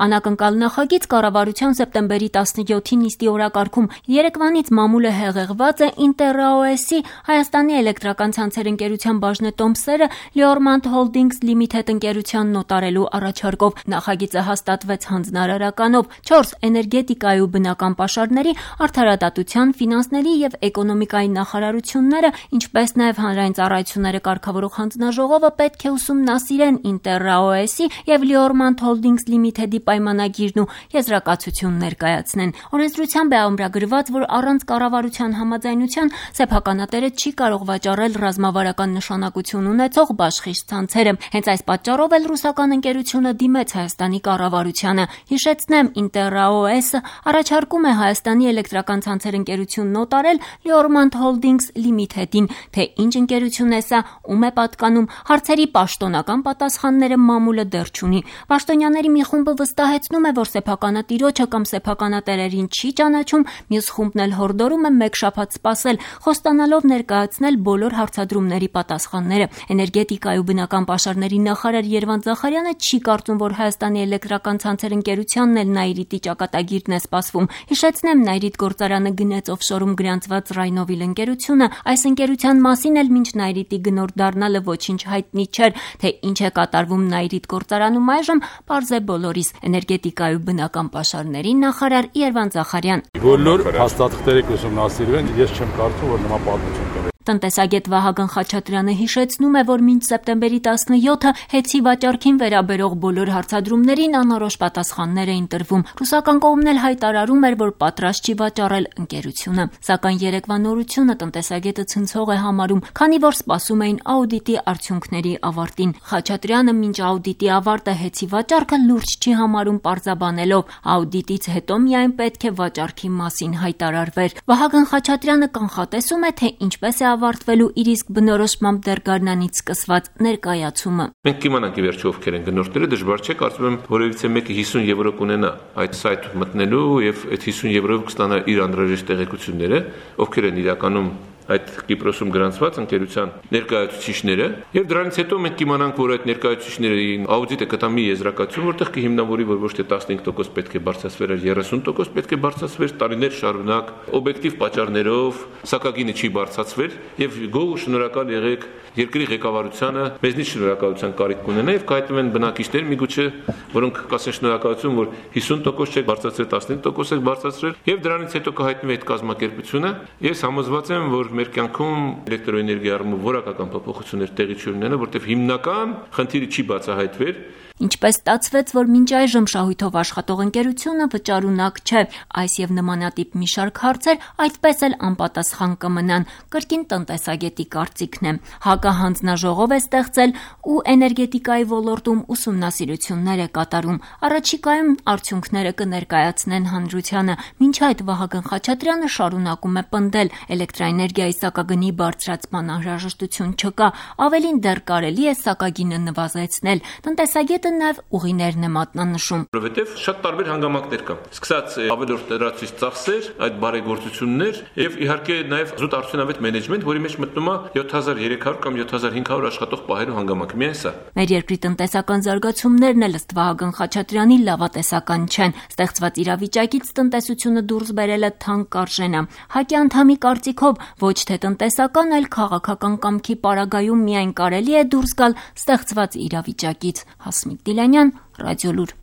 Անակնկալ նախագիծ կառավարության սեպտեմբերի 17-ի նիստի օրակարգում երեկվանից մամուլը հեղեղված է Interraoes-ի Հայաստանի էլեկտրական ցանցեր ընկերության բաժնետոմսերը Leormand Holdings Limited ընկերության նոտարելու առաջարկով։ Նախագիծը հաստատվեց հանձնարարականով 4 էներգետիկայի ու բնական պաշարների, արդարադատության, ֆինանսների եւ էկոնոմիկայի նախարարությունները, ինչպես նաեւ հանրային ծառայությունները կարգավորող հանձնաժողովը պետք է ուսումնասիրեն Interraoes-ի եւ Leormand Holdings Limited-ի պայմանագիրն ու եզրակացություն ներկայացնեն։ Օրենսդրությամբ է ամրագրված, որ առանց կառավարության համաձայնության սեփականատերը չի կարող վաճառել ռազմավարական նշանակություն ունեցող բաշխիչ ցանցերը։ Հենց այս պատճառով էլ ռուսական ընկերությունը դիմեց Հայաստանի կառավարությանը։ Հիշեցնեմ, Interraoes-ը առաջարկում է Հայաստանի էլեկտրական ցանցեր ընկերություն նոտարել Leormand Holdings Limited-ին, թե ինչ ընկերություն է սա, ում է պատկանում, հարցերի պաշտոնական պատասխանները մամուլը դեռ չունի։ Պաշտոնյաների մի խումբը վստահեցնում է, որ սեփականատիրոջը կամ սեփականատերերին չի ճանաչում, մյուս խումբն էլ հորդորում է մեկ շաբաթ սպասել, խոստանալով ներկայացնել բոլոր հարցադրումների պատասխանները։ Էներգետիկայի ու բնական պաշարների նախարար Երվանդ Զախարյանը չի կարծում, որ Հայաստանի էլեկտրական ցանցեր ընկերությանն էլ Նայիրիտի ճակատագիրն է սպասվում։ Հիշեցնեմ, Նայիրիտ գործարանը գնեց օֆշորում գրանցված Rhinovill ընկերությունը, այս ընկերության մասին էլ մինչ Նայիրիտի գնորդ դառնալը ոչինչ հայտնի չէր, թե ինչ է կատարվում Նայիրիտ գործարանում այժմ, պարզ է բոլորիս։ Էներգետիկայի ու բնական պաշարների նախարար Երվանդ Զախարյան։ Բոլոր փաստաթղթերը կուսումնասիրվեն, ես չեմ կարծում, որ նման պատմություն կա։ Տնտեսագետ Վահագն Խաչատրյանը հիշեցնում է, որ մինչ սեպտեմբերի 17-ը հեծի վաճառքին վերաբերող բոլոր հարցադրումներին անորոշ պատասխաններ էին տրվում։ Ռուսական կողմն էլ հայտարարում էր, որ պատրաստ չի վաճառել ընկերությունը։ Սակայն երեկվա նորությունը տնտեսագետը ցնցող է համարում, քանի որ սպասում էին աուդիտի արդյունքների ավարտին։ Խաչատրյանը մինչ աուդիտի ավարտը հեծի վաճառքը լուրջ չի համարում, պարզաբանելով աուդիտից հետո միայն պետք է վաճառքի մասին հայտարարվեր։ Վահագն Խաչատրյանը կանխատեսում է, թե ինչպես է ավարտվելու իր իսկ բնորոշմամբ դեռ գարնանից սկսված ներկայացումը։ Մենք կիմանանք ի վերջո ովքեր են գնորդները, դժվար չէ, կարծում եմ, որևիցե մեկը 50 եվրո կունենա այդ սայթ մտնելու եւ այդ 50 եվրոյով կստանա իր անհրաժեշտ տեղեկությունները, ովքեր են իրականում այդ Կիպրոսում գրանցված ընկերության ներկայացուցիչները, եւ դրանից հետո մենք կիմանանք, որ այդ ներկայացուցիչների աուդիտը կտա մի եզրակացություն, որտեղ կհիմնավորի, որ ոչ թե 15% պետք է բարձրացվեր, այլ 30% պետք է բարձրացվեր տարիներ շարունակ, օբյեկտիվ պատճառներով, սակագինը չի բարձրացվել եւ գոհ ու շնորհակալ եղեք երկրի ղեկավարությանը, մեզնից շնորհակալության կարիք կունենա եւ կհայտնվեն բնակիչներ միգուցե, որոնք կասեն շնորհակալություն, որ 50% չեք բարձրացրել, 15% եք բարձրացրել եւ դրանից հետո կհայտնվի այդ կազմակերպությունը։ Ես համոզված եմ, որ մեր կյանքում էլեկտրոէներգիայի առումով որակական փոփոխություններ տեղի չունենան, որտեղ հիմնական խնդիրը չի բացահայտվել։ Ինչպես ստացվեց, որ մինչ այժմ շահույթով աշխատող ընկերությունը վճարունակ չէ, այս եւ նմանատիպ մի շարք հարցեր այդպես էլ անպատասխան կմնան, կրկին տնտեսագետի կարծիքն է։ ՀԱԿ-ը հանձնաժողով է ստեղծել ու էներգետիկայի ոլորտում ուսումնասիրություններ է կատարում։ Առաջիկայում արդյունքները կներկայացնեն հանրությանը։ Մինչ այդ Վահագն Խաչատրյանը շարունակում է պնդել, էլեկտրաէներգիայի սակագնի բարձրացման անհրաժեշտություն չկա, ավելին դեռ կարելի է սակագինը նվազեցնել։ Տնտեսագետը նաև ուղիներն է մատնանշում։ Որովհետև շատ տարբեր հանգամանքներ կան։ Սկսած ավելորդ լրացուցիչ ծախսեր, այդ բարեգործություններ եւ իհարկե նաև զուտ արդյունավետ մենեջմենտ, որի մեջ մտնում է 7300 կամ 7500 աշխատող պահելու հանգամանք։ Միայն սա։ Մեր երկրի տնտեսական զարգացումներն էլ ըստ Վահագն Խաչատրյանի լավատեսական չեն։ Ստեղծված իրավիճակից տնտեսությունը դուրս բերելը թանկ արժեն է։ ՀԱԿ-ի անդամի կարծիքով ոչ թե տնտեսական, այլ քաղաքական կամքի պարագայում միայն կարելի է դուրս գալ ստեղծված իրավիճակից։ Հասմիկ Դիլանյան, Ռադիոլուր։